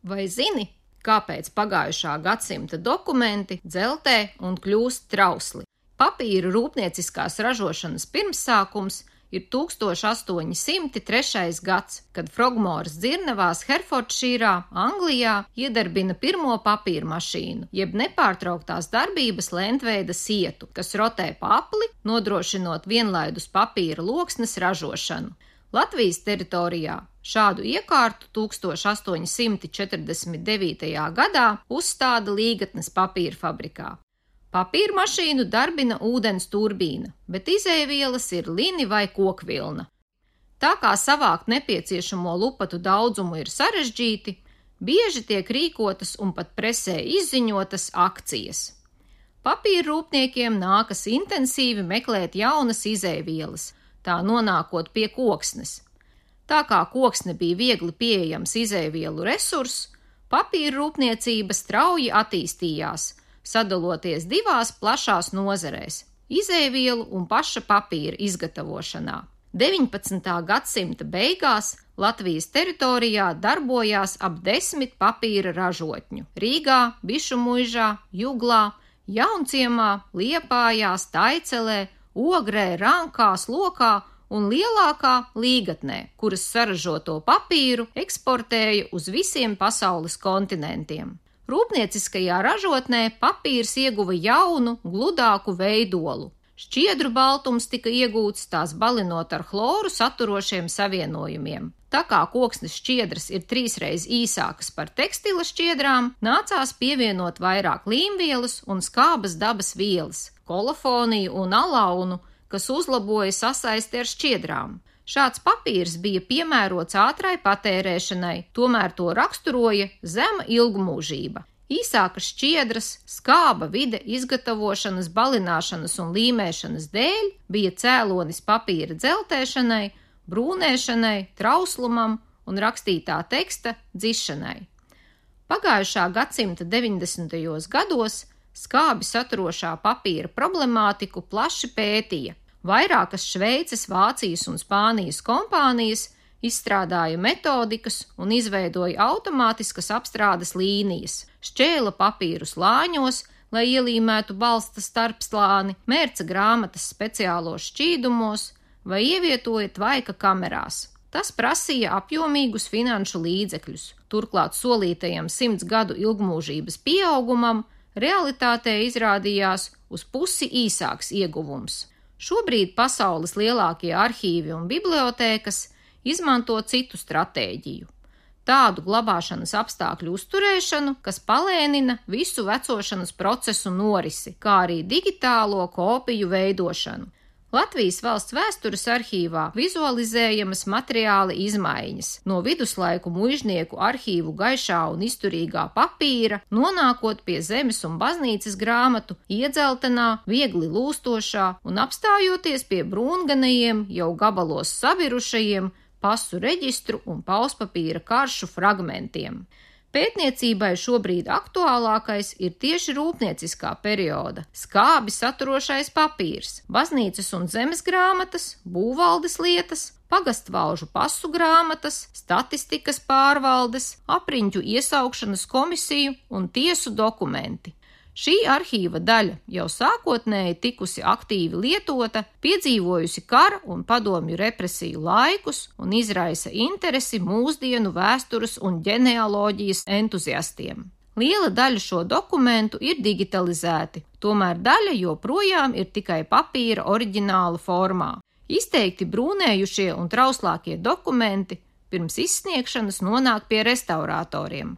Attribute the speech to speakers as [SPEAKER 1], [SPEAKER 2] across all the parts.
[SPEAKER 1] Vai zini, kāpēc pagājušā gadsimta dokumenti dzeltē un kļūst trausli? Papīra rūpnieciskās ražošanas pirmsākums ir 1803. gads, kad Frogmores dzirnavās Herfordšīrā, Anglijā, iedarbina pirmo papīra mašīnu, jeb nepārtrauktās darbības lentveida sietu, kas rotē pa apli, nodrošinot vienlaidus papīra loksnes ražošanu. Latvijas teritorijā šādu iekārtu 1849. gadā uzstāda Līgatnes papīra fabrikā. Papīra mašīnu darbina ūdens turbīna, bet izejvielas ir lini vai kokvilna. Tā kā savākt nepieciešamo lupatu daudzumu ir sarežģīti, bieži tiek rīkotas un pat presē izziņotas akcijas. Papīra rūpniekiem nākas intensīvi meklēt jaunas izejvielas, tā nonākot pie koksnes. Tā kā koksne bija viegli pieejams izejvielu resurss, papīra rūpniecība strauji attīstījās, sadaloties divās plašās nozarēs – izejvielu un paša papīra izgatavošanā. 19. gadsimta beigās Latvijas teritorijā darbojās ap 10 papīra ražotņu – Rīgā, Bišumuižā, Juglā, Jaunciemā, Liepājā, Staicelē, Ogrē, Rankā, Lokā un lielākā Līgatnē, kuras saražoto papīru eksportēja uz visiem pasaules kontinentiem. Rūpnieciskajā ražotnē papīrs ieguva jaunu, gludāku veidolu. Šķiedru baltums tika iegūts tās balinot ar chloru saturošiem savienojumiem. Tā kā koksnes šķiedras ir 3 reiz īsākas par tekstila šķiedrām, nācās pievienot vairāk līmvielas un skābas dabas vielas, kolofoniju un alaunu, kas uzlaboja sasaisti ar šķiedrām. Šāds papīrs bija piemērots ātrai patērēšanai, tomēr to raksturoja zema ilgmūžība. Īsākas šķiedras, skāba vide izgatavošanas, balināšanas un līmēšanas dēļ bija cēlonis papīra dzeltēšanai, brūnēšanai, trauslumam un rakstītā teksta dzišanai. Pagājušā gadsimta 90. gados skābi saturošā papīra problemātiku plaši pētīja. Vairākas Šveices, Vācijas un Spānijas kompānijas izstrādāja metodikas un izveidoja automātiskas apstrādes līnijas, šķēla papīru slāņos, lai ielīmētu balsta starpslāni, mērca grāmatas speciālos šķīdumos vai ievietoja tvaika kamerās. Tas prasīja apjomīgus finanšu līdzekļus. Turklāt solītajam 100 gadu ilgmūžības pieaugumam realitātē izrādījās uz pusi īsāks ieguvums. Šobrīd pasaules lielākie arhīvi un bibliotēkas izmanto citu stratēģiju. Tādu glabāšanas apstākļu uzturēšanu, kas palēnina visu vecošanas procesu norisi, kā arī digitālo kopiju veidošanu. Latvijas Valsts vēstures arhīvā vizualizējamas materiāla izmaiņas, no viduslaiku muižnieku arhīvu gaišā un izturīgā papīra, nonākot pie zemes un baznīcas grāmatu, iedzeltenā, viegli lūstošā un apstājoties pie brūnganajiem, jau gabalos sabirušajiem pasu reģistru un pauspapīra karšu fragmentiem. Pētniecībai šobrīd aktuālākais ir tieši rūpnieciskā perioda, skābi saturošais papīrs, baznīcas un zemes grāmatas, būvvaldes lietas, pagastvalžu pasu grāmatas, statistikas pārvaldes, apriņķu iesaukšanas komisiju un tiesu dokumenti. Šī arhīva daļa jau sākotnēji tikusi aktīvi lietota, piedzīvojusi kara un padomju represiju laikus un izraisa interesi mūsdienu vēstures un ģenealoģijas entuziastiem. Liela daļa šo dokumentu ir digitalizēti, tomēr daļa joprojām ir tikai papīra oriģināla formā. Izteikti brūnējušie un trauslākie dokumenti pirms izsniegšanas nonāk pie restauratoriem,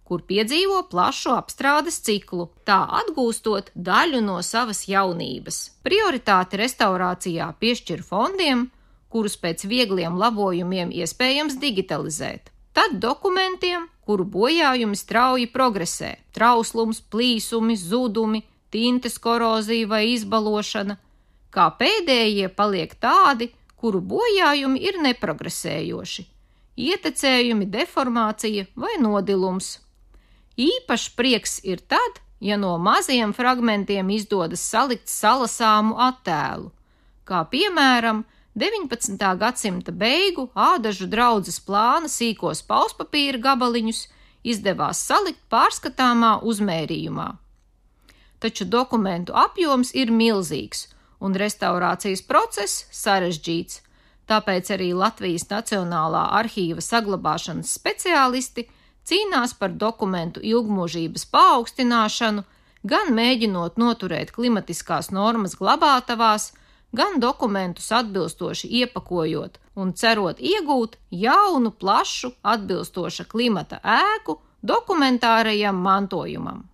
[SPEAKER 1] kur piedzīvo plašu apstrādes ciklu, tā atgūstot daļu no savas jaunības. Prioritāti restaurācijā piešķir fondiem, kurus pēc viegliem labojumiem iespējams digitalizēt. Tad dokumentiem, kuru bojājumi strauji progresē, trauslums, plīsumi, zudumi, tintes korozija vai izbalošana, kā pēdējie paliek tādi, kuru bojājumi ir neprogresējoši, ietecējumi, deformācija vai nodilums. Īpašs prieks ir tad, ja no maziem fragmentiem izdodas salikt salasāmu attēlu, kā piemēram 19. gadsimta beigu ādažu draudzes plāna sīkos pauspapīra gabaliņus izdevās salikt pārskatāmā uzmērījumā. Taču dokumentu apjoms ir milzīgs un restaurācijas process sarežģīts, tāpēc arī Latvijas Nacionālā arhīva saglabāšanas speciālisti cīnās par dokumentu ilgmūžības paaugstināšanu, gan mēģinot noturēt klimatiskās normas glabātavās, gan dokumentus atbilstoši iepakojot un cerot iegūt jaunu, plašu, atbilstoša klimata ēku dokumentārajam mantojumam.